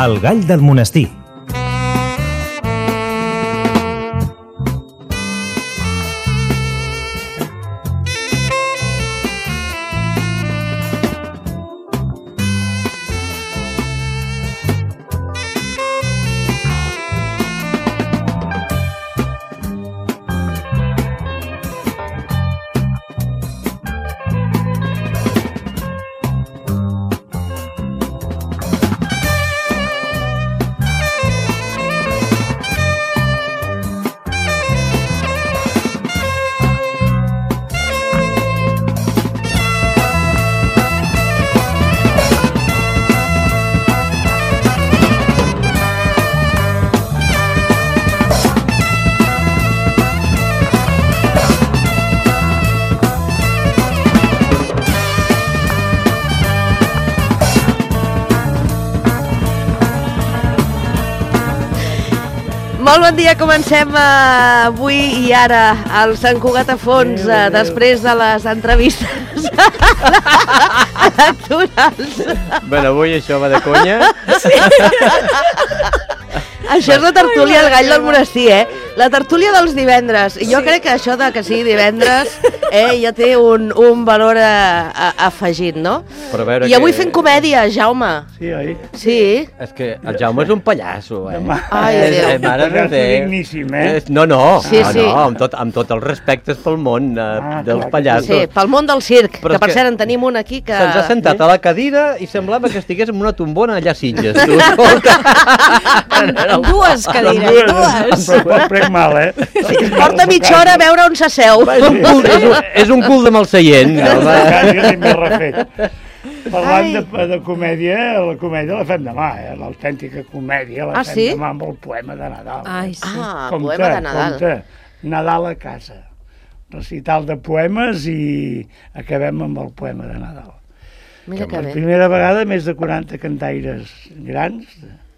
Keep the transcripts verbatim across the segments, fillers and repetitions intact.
El gall del monestir. Molt bon dia, comencem uh, avui i ara al Sant Cugat a fons, uh, després de les entrevistes electorals. Bueno, avui això va de conya. Sí. Això és la tertúlia del gall del monestir, eh? La tertúlia dels divendres. I jo sí. crec que això de que sigui divendres eh, ja té un, un valor a, a, afegit, no? I avui que... fent comèdia, Jaume. Sí, oi? Sí. És que el Jaume és un pallasso, eh? Ai, és, Déu. Eh, mare de Déu. Digníssim, eh? No, no, sí, no, sí. no amb, tot, amb tot el respecte pel món eh, ah, dels clar, pallassos. Sí, pel món del circ, Però que per que cert en tenim un aquí que... Se'ns ha sentat a la cadira i semblava que estigués en una tombona allà a Sitges. Tu, en dues cadires, dues. Però prec mal, eh? Sí, porta mitja hora a veure on s'asseu. És un cul, és un, és un cul de mal seient. No, m'he refet. Parlant de, de comèdia, la comèdia la fem demà, eh? L'autèntica comèdia la ah, fem sí? demà amb el poema de Nadal. Ai, sí. Ah, compte, poema de Nadal. Compte, Nadal a casa. Recital de poemes i acabem amb el poema de Nadal. Mira que, que per bé. primera vegada més de quaranta cantaires grans,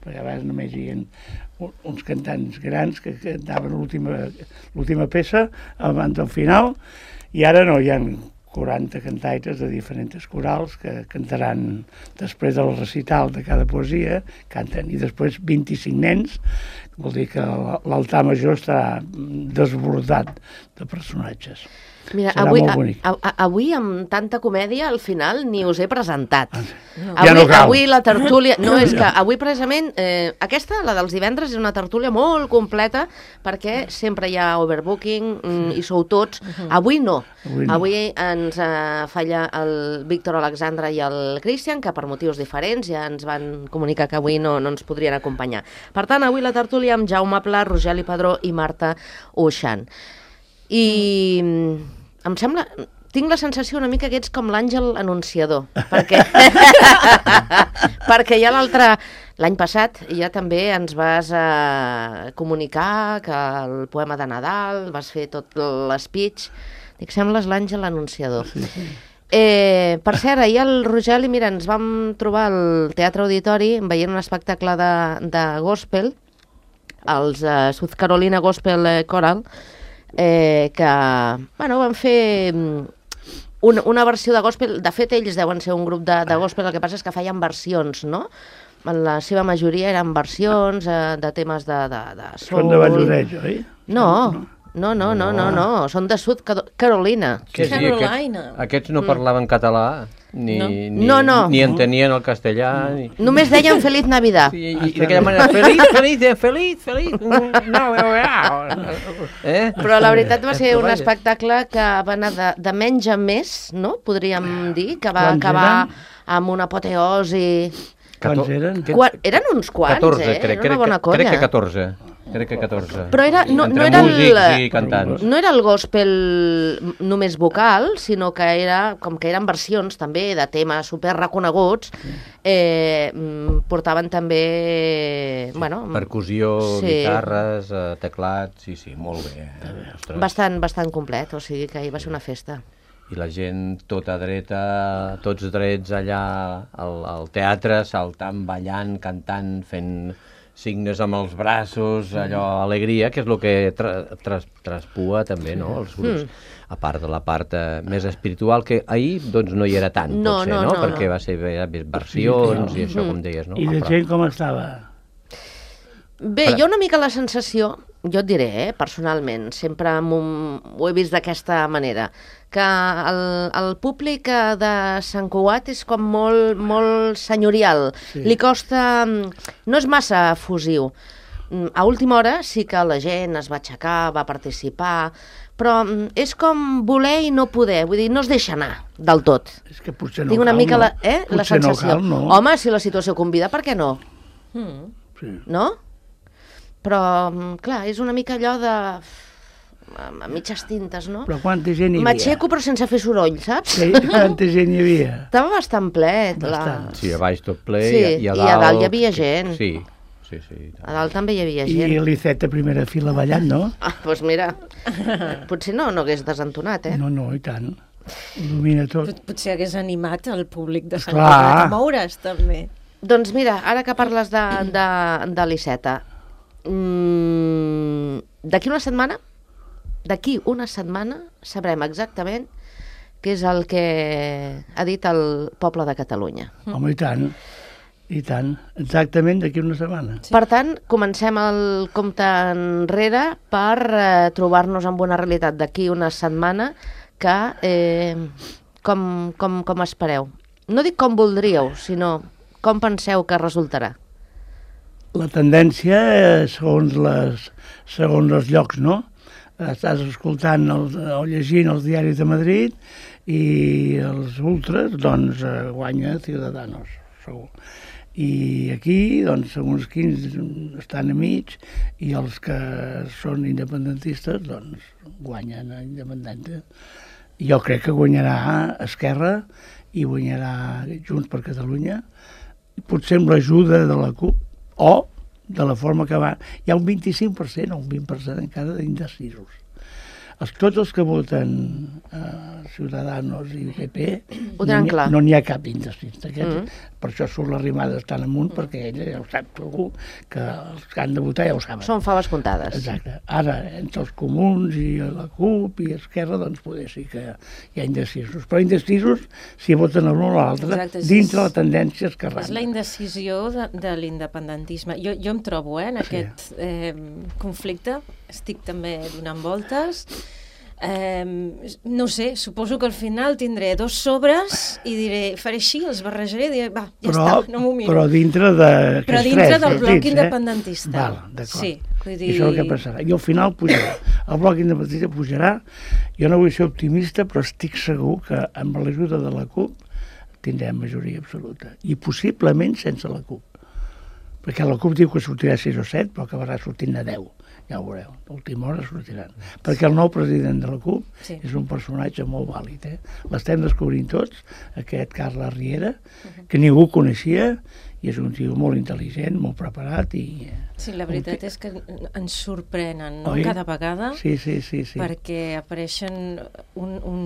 perquè abans només hi havia uns cantants grans que cantaven l'última peça abans del final, i ara no, hi ha quaranta cantaires de diferents corals que cantaran després del recital de cada poesia, canten, i després vint-i-cinc nens, vol dir que l'altar major està desbordat de personatges. Mira, serà avui, molt bonic. A, a, avui amb tanta comèdia al final ni us he presentat. No. Avui, Ja no cal. avui la tertúlia... No, és que avui precisament eh, aquesta, la dels divendres, és una tertúlia molt completa perquè sempre hi ha overbooking mm, i sou tots. Avui no. Avui no. Avui ens eh, falla el Víctor Alexandre i el Cristian, que per motius diferents ja ens van comunicar que avui no, no ens podrien acompanyar. Per tant, avui la tertúlia amb Jaume Pla, Rogeli Padró i Marta Uixant. I em sembla, tinc la sensació una mica que ets com l'àngel anunciador, perquè, perquè ja l'altre, l'any passat, ja també ens vas eh, comunicar que el poema de Nadal, vas fer tot l'espeech, dic, sembles l'àngel anunciador. Sí, sí. Eh, per cert, ahir el Rogeli, mira, ens vam trobar al Teatre Auditori veient un espectacle de, de gospel, els uh, South Carolina Gospel Choral, Eh, que bueno, van fer una, una versió de gospel. De fet, ells deuen ser un grup de, de gospel, el que passa és que feien versions, no? En la seva majoria eren versions eh, de temes de, de, de soul. Són de Valladolid, oi? No, no, no, no, no, no, són de South Carolina. Que sí, Carolina. Aquests, aquests no parlaven català, ni, No. ni, No, no. ni entenien el castellà. Ni... Només deien Feliz Navidad. I, i d'aquella manera, feliç, feliç, feliç, feliç. No, no, no. Eh? Però la veritat va ser un espectacle que va anar de, de menys a més, no? Podríem dir, que va Quants acabar eren? amb una apoteosi. Quants eren? Quan, eren uns quants, catorze, eh? crec, Era una bona crec, colla. crec que catorze. Crec que catorze. Però era, no, Entre no era músics el, i cantants. no era el gospel només vocal, sinó que era com que eren versions també de temes super reconeguts. Eh, portaven també... Sí, bueno, percussió, sí. guitarres, eh, teclats, sí, sí, molt bé. Eh? bastant, bastant complet, o sigui que ahir va ser una festa. I la gent tota dreta, tots drets allà al, al teatre, saltant, ballant, cantant, fent, signes amb els braços, allò, alegria, que és el que tra tras traspua també, no?, els grups. Mm. A part de la part eh, més espiritual, que ahir doncs no hi era tant, no, potser, no? no? no Perquè no. va ser més versions sí, i això, com deies, no? I la gent com estava? Bé, jo una mica la sensació, jo et diré, eh, personalment, sempre un, ho he vist d'aquesta manera, que el, el públic de Sant Cugat és com molt, molt senyorial, sí. Li costa, no és massa fusiu. A última hora sí que la gent es va aixecar, va participar, però és com voler i no poder, vull dir, no es deixa anar del tot. És que potser no Tinc una cal, mica no? la, eh, la Potser sensació. no cal, no. Home, si la situació convida, per què no? Mm. Sí. No? Però, clar, és una mica allò de... a mitges tintes, no? Però quanta gent hi havia? M'aixeco però sense fer soroll, saps? Sí, quanta gent hi havia? Estava bastant ple. Bastant. La... Sí, a baix tot ple, Sí, i, a, i dalt... a dalt hi havia gent. Sí, sí, sí. A dalt també hi havia I gent. l'Icet a primera fila ballant, no? Ah, doncs mira, potser no, no hagués desentonat, eh? No, no, i tant. Il·lumina tot. Pot- Potser hagués animat el públic de Sant Clar. Cugat a moure's, també. Doncs mira, ara que parles de, de, de l'Iceta, mm, d'aquí una setmana, d'aquí una setmana sabrem exactament què és el que ha dit el poble de Catalunya. Home, i tant. I tant. Exactament d'aquí una setmana. Sí. Per tant, comencem el compte enrere per eh, trobar-nos amb una realitat d'aquí una setmana que eh, com, com, com espereu. No dic com voldríeu, sinó com penseu que resultarà. La tendència, eh, segons, les, segons els llocs, no? Estàs escoltant els, o llegint els diaris de Madrid i els ultras, doncs, eh, guanya Ciudadanos, segur. I aquí, doncs, segons quins estan a mig i els que són independentistes, doncs, guanyen a Independente. Jo crec que guanyarà Esquerra i guanyarà Junts per Catalunya, potser amb l'ajuda de la CUP, o de la forma que va... Hi ha un vint-i-cinc per cent o un vint per cent encara d'indecisos. Els, tots els que voten eh, Ciudadanos i P P Ho tenen no n'hi clar. ha, no n'hi ha cap indecis. Mm. Mm. Per això surt l'arrimada tan amunt, perquè ella ja ho sap segur, que els que han de votar ja ho saben. Són faves comptades. Exacte. Ara, entre els comuns i la CUP i Esquerra, doncs poder sí que hi ha indecisos. Però indecisos, si voten l'un o l'altre, Exacte, sí, dintre és- la tendència esquerrana. És la indecisió de, de l'independentisme. Jo, jo em trobo eh, en Sí. aquest eh, conflicte, estic també donant voltes. Eh, no sé, suposo que al final tindré dos sobres i diré, faré així, els barrejaré i diré, va, ja però, està, no m'ho miro. Però dintre de... Però aquests dintre tres del bloc partits, independentista. Eh? Val, d'acord. Sí, vull dir... I això és el que passarà. I al final pujarà. El bloc independentista pujarà. Jo no vull ser optimista, però estic segur que amb l'ajuda de la CUP tindrem majoria absoluta. I possiblement sense la CUP. Perquè la CUP diu que sortirà sis o set, però acabarà sortint a deu. Ja ho veureu, a última hora sortiran. Perquè el nou president de la CUP Sí. és un personatge molt vàlid. Eh? L'estem descobrint tots, aquest Carles Riera, que ningú coneixia, i és un tio molt intel·ligent, molt preparat i... Sí, la veritat és que ens sorprenen, no?, Oi? cada vegada, Sí, sí, sí, sí. perquè apareixen un, un,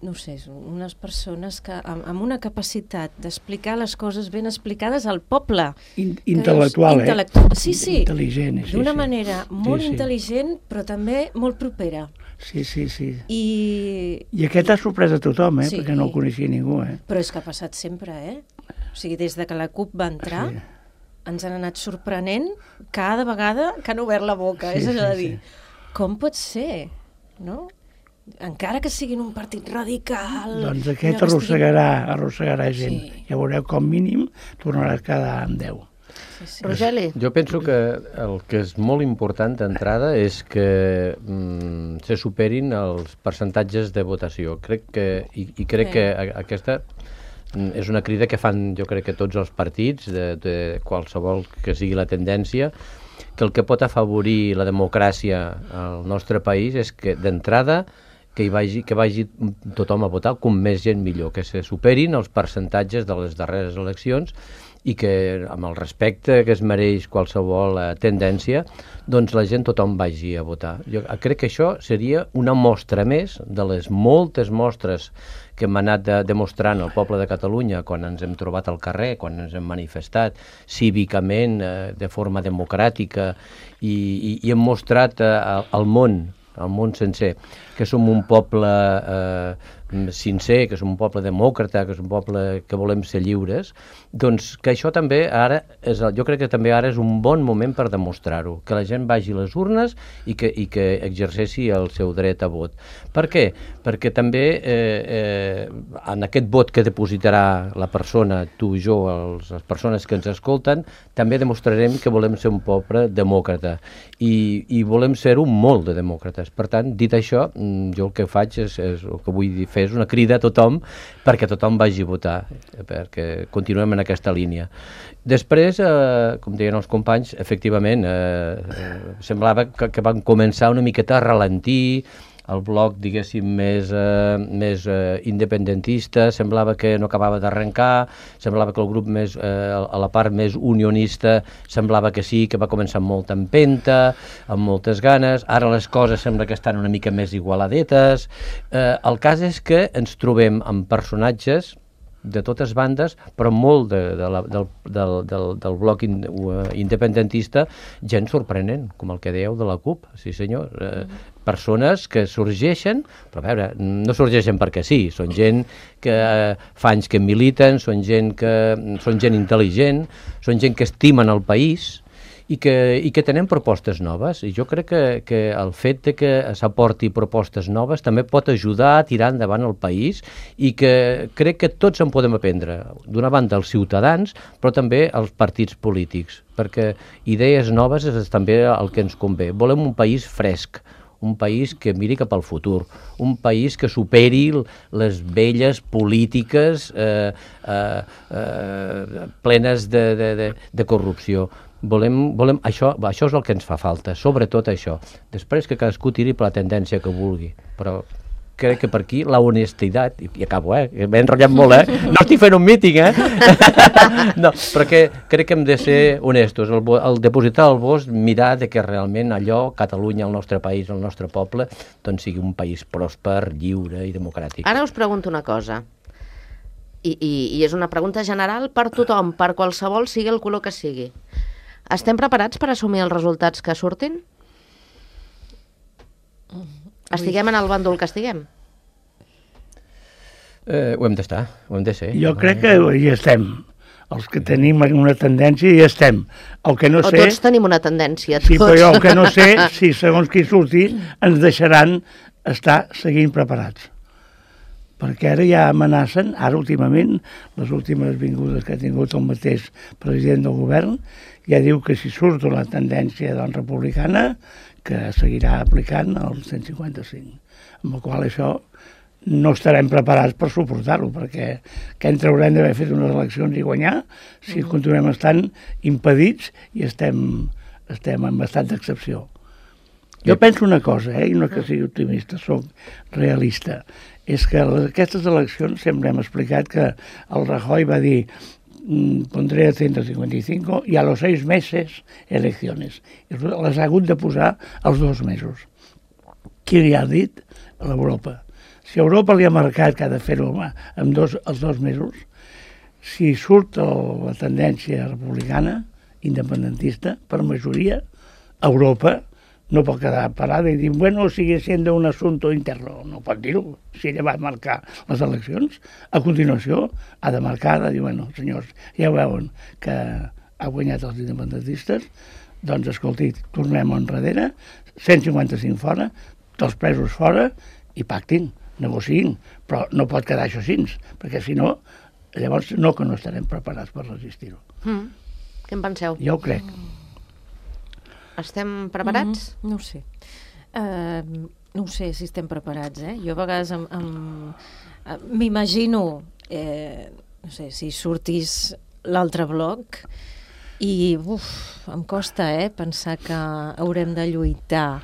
no sé, unes persones que amb, amb una capacitat d'explicar les coses ben explicades al poble. In, Que intel·lectual, dius, eh? intel·lectual, sí, sí. Intel·ligent, sí, D'una sí. manera molt Sí, sí. intel·ligent, però també molt propera. Sí, sí, sí. I... I aquest ha sorprès a tothom, eh? Sí. Perquè no el coneixia ningú, eh? Però és que ha passat sempre, eh? O sigui, des de que la CUP va entrar, Sí. ens han anat sorprenent cada vegada que han obert la boca. Sí, és allò sí, de dir, sí. com pot ser, no? Encara que siguin un partit radical... Doncs allò aquest que arrossegarà, arrossegarà gent. Sí. Ja veureu, com mínim, tornarà a quedar amb deu. Sí, sí. Rogeli, Jo penso que el que és molt important d'entrada és que mm, se superin els percentatges de votació. Crec que, i, i crec Sí. que a, aquesta mm, és una crida que fan, jo crec que tots els partits, de, de qualsevol que sigui la tendència, que el que pot afavorir la democràcia al nostre país és que d'entrada que hi vagi, que vagi tothom a votar, com més gent millor, que se superin els percentatges de les darreres eleccions i que amb el respecte que es mereix qualsevol eh, tendència, doncs la gent, tothom vagi a votar. Jo crec que això seria una mostra més de les moltes mostres que hem anat de, demostrant al poble de Catalunya quan ens hem trobat al carrer, quan ens hem manifestat cívicament, eh, de forma democràtica, i, i, i hem mostrat eh, al món, al món sencer, que som un poble eh, sincer, que som un poble demòcrata, que som un poble que volem ser lliures, doncs que això també ara, és, jo crec que també ara és un bon moment per demostrar-ho, que la gent vagi a les urnes i que, i que exerceixi el seu dret a vot. Per què? Perquè també eh, eh, en aquest vot que depositarà la persona, tu, jo, els, les persones que ens escolten, també demostrarem que volem ser un poble demòcrata i, i volem ser-ho molt de demòcrates. Per tant, dit això, jo el que faig és, és el que vull fer és una crida a tothom perquè tothom vagi a votar, perquè continuem en aquesta línia. Després, eh, com deien els companys, efectivament, eh, eh, semblava que, que van començar una miqueta a ralentir, el bloc, diguéssim, més, eh, més eh, independentista, semblava que no acabava d'arrencar, semblava que el grup més, eh, a la part més unionista, semblava que sí, que va començar amb molta empenta, amb moltes ganes, ara les coses sembla que estan una mica més igualadetes. Eh, el cas és que ens trobem amb personatges de totes bandes, però molt de, de la, del, del, del, del bloc in, uh, independentista, gent sorprenent, com el que dèieu de la CUP, sí senyor, eh, persones que sorgeixen, però a veure, no sorgeixen perquè sí, són gent que eh, fa anys que militen, són gent que són gent intel·ligent, són gent que estimen el país, i que, i que tenen propostes noves, i jo crec que, que el fet de que s'aporti propostes noves també pot ajudar a tirar endavant el país, i que crec que tots en podem aprendre, d'una banda els ciutadans, però també els partits polítics, perquè idees noves és també el que ens convé. Volem un país fresc, un país que miri cap al futur, un país que superi les velles polítiques eh, eh, eh, plenes de, de, de, de corrupció. Volem, volem, això, això és el que ens fa falta, sobretot això. Després que cadascú tiri per la tendència que vulgui, però crec que per aquí la honestitat, i, i acabo, eh, m'he enrotllat molt, eh, no estic fent un míting, eh, no, però que crec que hem de ser honestos, el, el depositar el vot, mirar de que realment allò, Catalunya, el nostre país, el nostre poble, doncs sigui un país pròsper, lliure i democràtic. Ara us pregunto una cosa, i, i, i és una pregunta general per tothom, per qualsevol, sigui el color que sigui. Estem preparats per assumir els resultats que surtin? Estiguem en el bàndol que estiguem? Eh, ho hem d'estar, ho hem de ser. Jo crec que hi estem. Els que tenim una tendència hi estem. El que no o sé... tots tenim una tendència, tots. Sí, però jo el que no sé, si segons qui surti, ens deixaran estar seguint preparats. Perquè ara ja amenacen, ara últimament, les últimes vingudes que ha tingut el mateix president del govern, ja diu que si surt la tendència doncs, republicana, que seguirà aplicant el cent cinquanta-cinc. Amb el qual això no estarem preparats per suportar-ho, perquè què en traurem d'haver fet unes eleccions i guanyar si continuem estant impedits i estem, estem en estat d'excepció. Jo penso una cosa, eh, i no que sigui optimista, soc realista, és que aquestes eleccions sempre hem explicat que el Rajoy va dir pondré el cent cinquanta y cinco i a los seis meses eleccions. I les ha hagut de posar als dos mesos. Qui li ha dit? A l'Europa. Si Europa li ha marcat que ha de fer-ho en dos, els dos mesos, si surt el, la tendència republicana, independentista, per majoria, Europa no pot quedar parada i dir, bueno, sigue siendo un asunto interno. No pot dir-ho. Si ella va marcar les eleccions, a continuació ha de marcar, de dir, bueno, senyors, ja veuen que ha guanyat els independentistes, doncs, escolti, tornem enrere, cent cinquanta-cinc fora, tots presos fora, i pactin, negociïn, però no pot quedar això així, perquè si no, llavors no que no estarem preparats per resistir-ho. Mm. Què en penseu? Jo ho crec. Estem preparats? Mm, no ho sé. Uh, no ho sé si estem preparats, eh? Jo a vegades em, em, m'imagino, eh, no sé, si sortís l'altre bloc i uf, em costa, eh, pensar que haurem de lluitar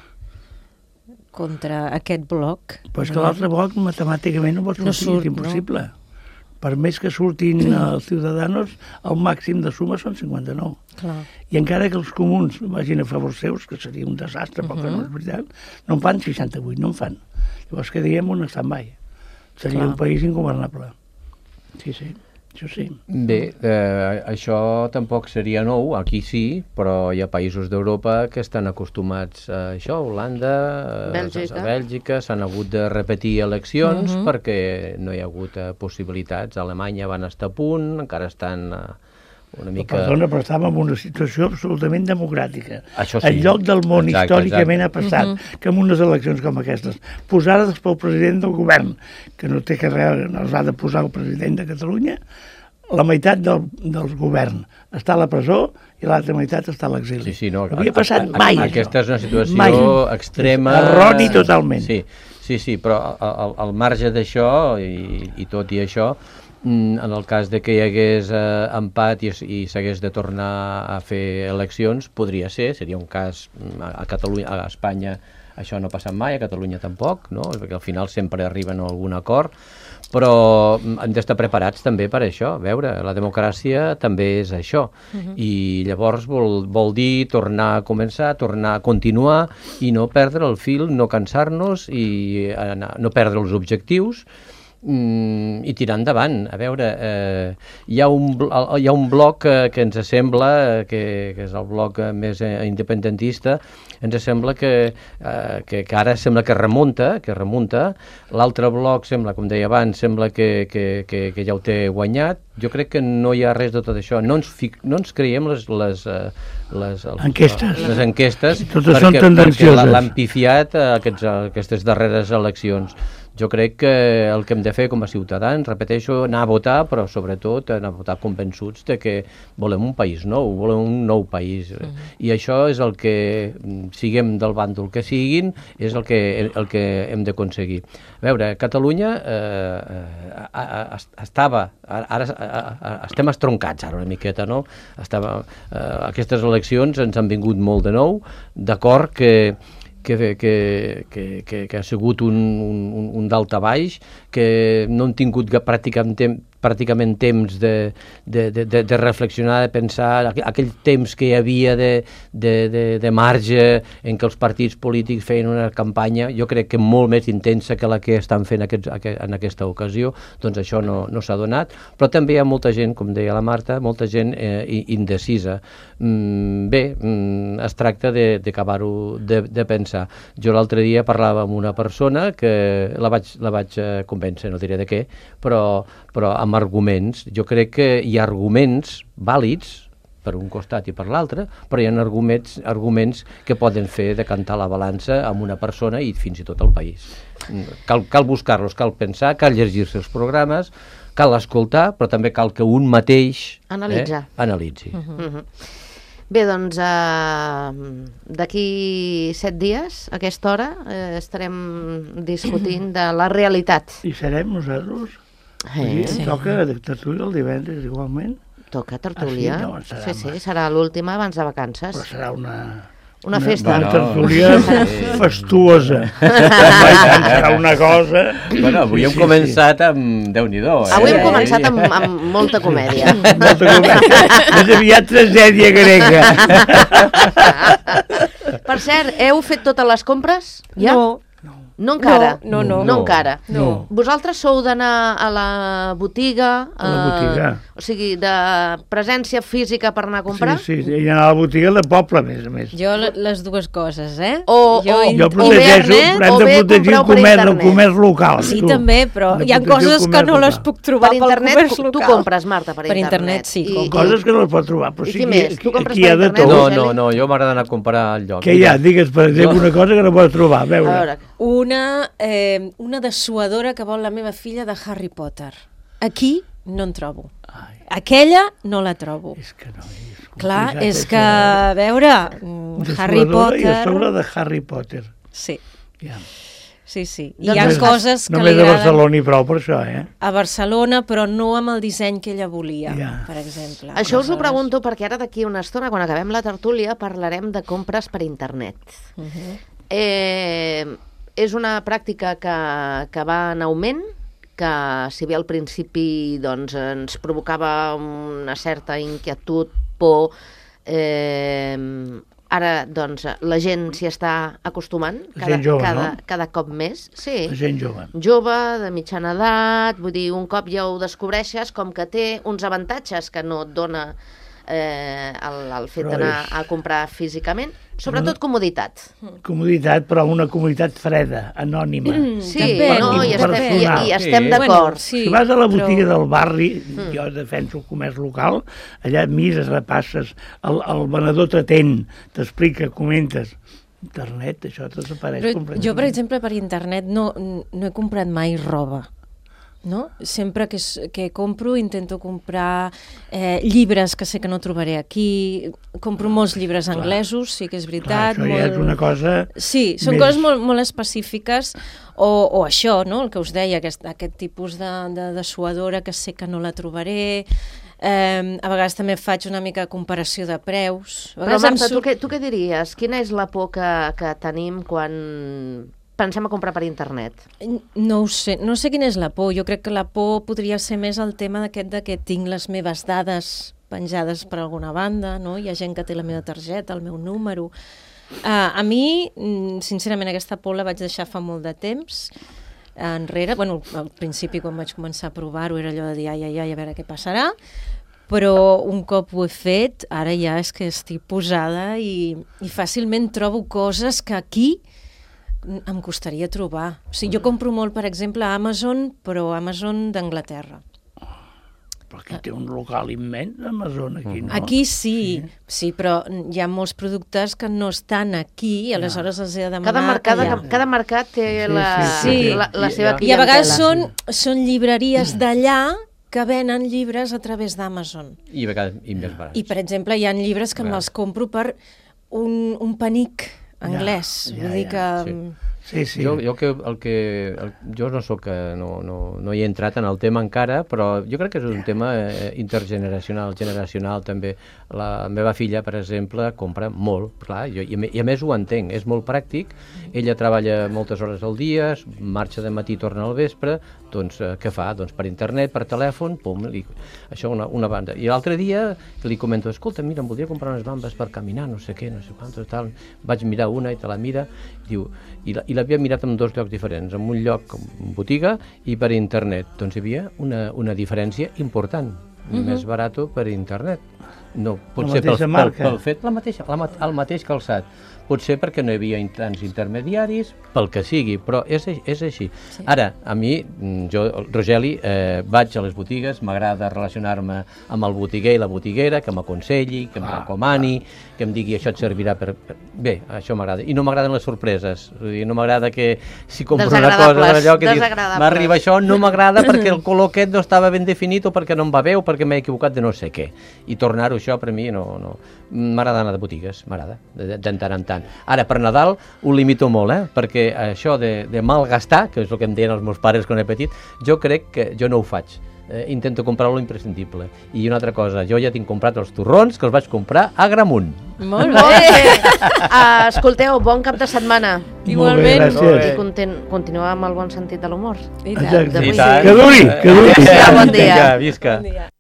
contra aquest bloc. Però és que l'altre bloc matemàticament no pot sortir, no surt, és impossible. No? Per més que surtin els ciutadans, el màxim de suma són cinquanta-nou. Clar. I encara que els comuns vagin a favor seus, que seria un desastre, uh -huh. perquè no és veritat, no en fan seixanta-vuit, no en fan. Llavors quedaríem un stand-by. Seria Clar. un país ingovernable. Sí, sí. Això sí. Bé, eh, això tampoc seria nou, aquí sí, però hi ha països d'Europa que estan acostumats a això, Holanda, Bèlgica, a Bèlgica, s'han hagut de repetir eleccions Mhm. perquè no hi ha hagut eh, possibilitats. A Alemanya van estar a punt, encara estan eh, una mica... Perdona, però estàvem en una situació absolutament democràtica. Això sí. El lloc del món Exacte, històricament exacte. ha passat Mhm. que en unes eleccions com aquestes, posades pel president del govern, que no té que res, no els ha de posar el president de Catalunya, la meitat del, del govern està a la presó i l'altra meitat està a l'exili. Sí, sí, no, no havia a- passat a- mai, Aquesta això. és una situació Mai. extrema. Erroni totalment. Sí, sí, sí, però al, al marge d'això, i, i tot i això, mm, en el cas de que hi hagués eh, empat i, es- i s'hagués de tornar a fer eleccions, podria ser, seria un cas mm, a, a Catalunya, a Espanya això no ha passat mai, a Catalunya tampoc, no? Perquè al final sempre arriben a algun acord, però mm, hem d'estar preparats també per això. A veure, la democràcia també és això. Uh-huh. I llavors vol, vol dir tornar a començar, tornar a continuar i no perdre el fil, no cansar-nos i anar, no perdre els objectius mm, i tirar endavant. A veure, eh, hi, ha un, bl- hi ha un bloc que, que ens sembla, eh, que, que és el bloc eh, més eh, independentista, ens sembla que, eh, que, que ara sembla que remunta, que remunta. L'altre bloc sembla, com deia abans, sembla que, que, que, que ja ho té guanyat. Jo crec que no hi ha res de tot això. No ens, fic, no ens creiem les, les, eh, les, els, Enquestes. les enquestes Totes perquè, són tendencioses. perquè l'han pifiat a aquests, a aquestes darreres eleccions. Jo crec que el que hem de fer com a ciutadans, repeteixo, anar a votar, però sobretot anar a votar convençuts de que volem un país nou, volem un nou país. Mm. I això és el que, siguem del bàndol que siguin, és el que, el que hem d'aconseguir. A veure, Catalunya eh, a, a, a, estava, ara, ara a, a, estem estroncats ara una miqueta, no? Estava, eh, aquestes eleccions ens han vingut molt de nou, d'acord que Que, que, que, que, que ha sigut un, un, un dalt a baix, que no han tingut pràcticament, tem, pràcticament temps de, de, de, de reflexionar, de pensar, aquell temps que hi havia de, de, de, de marge en què els partits polítics feien una campanya, jo crec que molt més intensa que la que estan fent aquests, en aquesta ocasió, doncs això no, no s'ha donat, però també hi ha molta gent, com deia la Marta, molta gent eh, indecisa. Mm, bé, mm, es tracta d'acabar-ho de, de, de pensar. Jo l'altre dia parlava amb una persona que la vaig, la vaig convèncer, no diré de què, però, però amb arguments. Jo crec que hi ha arguments vàlids per un costat i per l'altre, però hi ha arguments, arguments que poden fer decantar la balança amb una persona i fins i tot el país. Cal, cal buscar-los, cal pensar, cal llegir-se els programes, cal escoltar, però també cal que un mateix Analitzar. eh, analitzi. Uh-huh. Uh-huh. Bé, doncs, eh, d'aquí set dies, a aquesta hora, eh, estarem discutint de la realitat. I serem nosaltres? Eh? Sí. Toca de tertúlia el divendres igualment? Toca tertúlia. Ah, sí? No, serà sí, sí, més. serà l'última abans de vacances. Però serà una... Una festa. Una Bueno, tertúlia sí. fastuosa. Serà una cosa... Bueno, avui hem Sí, sí, començat amb Déu-n'hi-do. Eh? Avui hem començat amb, amb molta comèdia. Molta comèdia. Més aviat tragèdia grega. Per cert, heu fet totes les compres? Ja? No, No encara? No, no, No, no. encara. No. Vosaltres sou d'anar a la botiga? A la botiga. O sigui, de presència física per anar a comprar? Sí, sí, i anar a la botiga de poble, a més a més. jo le- les dues coses, eh? O- jo o- in- Jo protegeixo, internet, però hem o de bé protegir el compreu per comerç, el internet. comerç local. Sí, tu. també, però Hem de hi ha protegir el coses que comerç no les local. puc trobar Per pel internet, comerç tu local. compres, Marta, per, Per internet, sí, I, compro. Coses que no les pot trobar, però I sí què que més? Tu compres aquí hi ha per de internet? tot. No, Eli? no, no, jo m'agrada anar a comprar al lloc. Què hi ha? Digues, per exemple, una cosa que no pots trobar. A A veure, veure, Una, eh, una dessuadora que vol la meva filla de Harry Potter. Aquí no en trobo. Ai. Aquella no la trobo. és que no, és Clar, complicat, és això, que, eh? a veure, mm, De Harry suadora I a sobre Potter... de Harry Potter. Sí, Ja. sí, sí. I Doncs hi ha només- coses que Només li a agraden Barcelona i prou per això, eh? a Barcelona, però no amb el disseny que ella volia, Ja. per exemple. això us ho Aleshores, pregunto perquè ara d'aquí una estona, quan acabem la tertúlia, parlarem de compres per internet. Uh-huh. Eh, és una pràctica que, que va en augment, que si bé al principi doncs, ens provocava una certa inquietud, por, eh, ara doncs, la gent s'hi està acostumant cada, Gent jove, cada, no? cada cop més. Sí. La gent jove. Jove, de mitjana edat, vull dir, un cop ja ho descobreixes, com que té uns avantatges que no et dona eh, el, el fet Però d'anar és- a comprar físicament, sobretot comoditat. Comoditat, però una comoditat freda, anònima. Sí, Depèn, no, i estem, i, impersonal. i estem Sí. d'acord. sí, Si vas a la botiga però- del barri, jo defenso el comerç local, allà mires, repasses, el, el venedor t'atén, t'explica, comentes. Internet, això desapareix Però completament. jo, per exemple, per internet no, no he comprat mai roba. No? Sempre que, s- que compro intento comprar eh, llibres que sé que no trobaré aquí. Compro molts llibres anglesos, sí que és Clar, veritat. això ja és una cosa... Sí, són més- coses molt, molt específiques, o, o això, no? El que us deia, aquest, aquest tipus de, de dessuadora que sé que no la trobaré. Eh, a vegades també faig una mica de comparació de preus. A Però vegades em Marta, tu surt- què, tu què diries? Quina és la por que, que tenim quan pensem a comprar per internet? No ho sé, no sé quina és la por. Jo crec que la por podria ser més el tema d'aquest de que tinc les meves dades penjades per alguna banda, no? Hi ha gent que té la meva targeta, el meu número. Uh, a mi, mm, sincerament, aquesta por la vaig deixar fa molt de temps enrere. Bueno, al principi, quan vaig començar a provar-ho, era allò de dir, ai, ai, ai, a veure què passarà. Però un cop ho he fet, ara ja és que estic posada i, i fàcilment trobo coses que aquí em costaria trobar. O sigui, jo compro molt, per exemple, a Amazon, però Amazon d'Anglaterra. Però aquí té un local immens, Amazon, aquí, no? Aquí sí, sí, però hi ha molts productes que no estan aquí i aleshores els he de demanar Cada mercat, allà. cada mercat té Sí, la, sí, sí. la, la I- seva i- clientela. I a vegades són, són llibreries d'allà que venen llibres a través d'Amazon. I a vegades i més barats. I, per exemple, hi ha llibres que Clar. me'ls compro per un, un penic anglès. Ja, Vull ja, dir ja. que... Sí. Sí, sí. Jo, jo, que, el que, el, jo no soc, eh, no, no, no hi he entrat en el tema encara, però jo crec que és un tema eh, intergeneracional, generacional també. La meva filla, per exemple, compra molt, clar, jo, i, a, me- i a més ho entenc, és molt pràctic, ella treballa moltes hores al dia, marxa de matí i torna al vespre, doncs eh, què fa? Doncs per internet, per telèfon, pum, li, això una, una banda. I l'altre dia que li comento, escolta, mira, em voldria comprar unes bambes per caminar, no sé què, no sé quantos, tal. Vaig mirar una i te la mira, diu, i la, i l'havia mirat en dos llocs diferents, en un lloc en botiga i per internet. Doncs hi havia una, una diferència important, uh-huh. més barat per internet. No, potser pel, mateixa pel, marca. pel fet, la mateixa, la, ma- el mateix calçat. Potser perquè no hi havia in- tants intermediaris, pel que sigui, però és, ai- és així. Sí. Ara, a mi, mm, jo, Rogeli, eh, vaig a les botigues, m'agrada relacionar-me amb el botiguer i la botiguera, que m'aconselli, que em Ah, recomani, que em digui això et servirà per... per... Bé, això m'agrada. I no m'agraden les sorpreses. Vull dir, no m'agrada que si compro una cosa Desagradables, allò que dius, desagradables. m'arriba això, no m'agrada perquè el color aquest no estava ben definit o perquè no em va bé o perquè m'he equivocat de no sé què. I tornar-ho això per mi no... no. M'agrada anar de botigues, m'agrada, de, de, de tant en tant. Ara, per Nadal ho limito molt, eh? Perquè això de, de malgastar, que és el que em deien els meus pares quan era petit, jo crec que jo no ho faig. Eh, intento comprar lo imprescindible. I una altra cosa, jo ja tinc comprat els torrons que els vaig comprar a Gramunt. Molt Molt bé. bé. Uh, escolteu, bon cap de setmana. Igualment. Molt bé, gràcies. I content, continuar amb el bon sentit de l'humor. I tant. Exacte. D'avui. I tant. Que duri, que duri. Adéu-siau, bon dia. Vinga, visca. Bon dia.